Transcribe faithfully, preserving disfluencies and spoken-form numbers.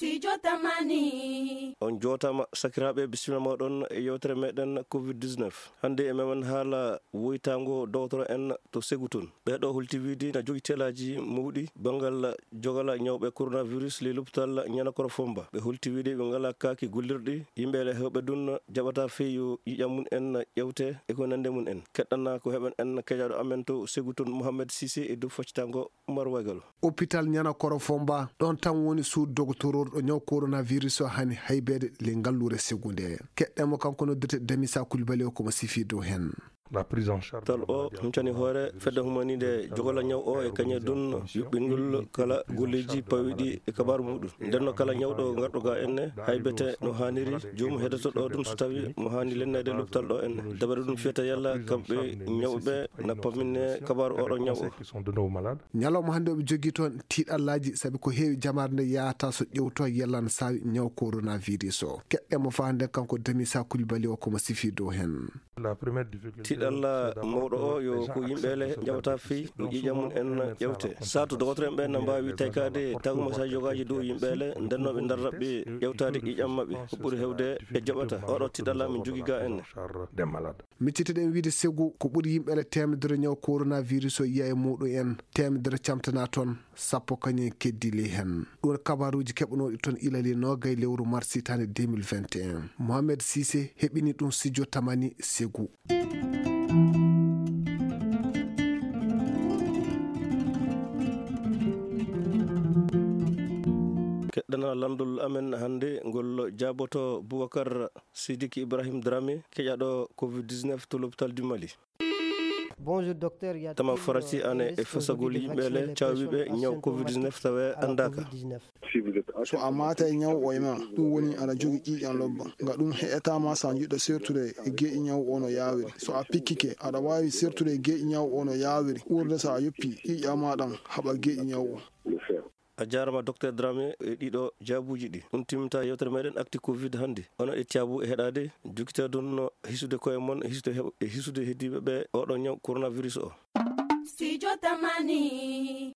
Studio Tamani. On jootaama, sakiraaɓe, bisimilla mooɗon e yewtere meɗen covid dix-neuf. Hannde e memen haala woytaango dogotoro en to Segu toon. Ɓee ɗo holti wiide na jogi teelaaji mawɗi banngal jogala ñawɓe coronavirus ley lopital Ñanakoro Fomba. Ɓe holti wiide ɓe ngalaa kaaki gollirɗi, yimɓe ele heewɓe ɗum jaɓata fii yo ƴiiƴam mum en ƴewte e ko nande mum en. Keɗɗana ko heɓen en keƴaaɗo amen to Segu toon, Mohamed Cissé, e dow faccitango Umar Wagalo. Hôpital Ñanakoro Fomba, ɗon tan woni suudu dogotoroorɗo ñaw coronavirus o hani haybeede ley ngalluure Segu nde. Keɗɗen mo, kanko noddirte Damisa Coulibaly o, ko mo sifi dow heen. La prise en charge. Tal o huncani hoore fedde humaniinde jogola ñaw o e kañe ɗum yuɓɓingol kala golleeji pawiɗi e kabaaru muɗum. Nden no kala ñawɗo garɗo ga enne haybete no haaniri, joomum heddoto ɗo ɗum so tawi mo haani lenneede lopital ɗo enne. Dabare ɗum fiyata yalla kamɓe ñawɓe na pamminne kabaaru oɗo ñaw o. Ñalawma hannde oɓe jogii toon tiiɗallaaji, sabi ko heewi jamaare nde yahata so ƴewto yalla na saawi ñaw coronavirus o. Keɗɗen mo faa hannde, kanko Damisa Coulibaly o, ko mo sifi dow heen. Tiiɗalla mawɗo o yo ko yimɓe ele njaɓata fii yo ƴiiƴam mum en ƴewte. Saatu dogotoro en ɓe na mbaawi taykaade tagumasaaji yogaaji dow yimɓe ele, nden no ɓe ndarra ɓe ƴewtaade ƴiiƴam maɓɓe. Ko ɓuri heewde ɓe jaɓata. Oɗo tiiɗalla min jogii ga enne. Miccitiɗen wiide Segu, ko ɓuri yimɓe ele teemedere ñaw coronavirus o yiya e muɗum en, teemedere camtana toon, sappo kañum en keddi ley heen. Ɗum woni kabaaruuji keɓanooɗi toon ilali noogay lewru mars hitaande deux mille vingt et un. Mohamed Cissé heɓini ɗum Studio Tamani Segu. Keɗɗana lanndol amen hannde ngol jaaboto Boubacar Sidiki Ibrahim Dramé, keƴaaɗo covid dix-neuf to l'hôpital du Mali. Bonjour, docteur. Tama farasi ane e fasagol yimɓe ele caawiɓe ñaw covid dix-neuf tawe anndaaka. So a maata e ñaw o e ma, ɗum woni aɗa jogi ƴiiƴam lobba. Nga ɗum heƴataa ma so a jiɗɗo sertude e geeƴi ñaw o no yaawiri. So a pikkike, aɗa waawi sertude e geeƴi ñaw o no yaawiri, ɓurde so a yoppi ƴiiƴam ma ɗam haɓa geeƴi ñaw o. A jaaraama, Docteur Dramé, e ɗiɗo jaabuuji ɗi. Ɗum timminta yewtere meɗen Actu Covid hannde. Onon e caabu e heɗaade, jokkitaa ɗum no hisude koye mon, e hisude heɓ-, e hisude heddiiɓe ɓe oɗo ñaw coronavirus o. Studio Tamani.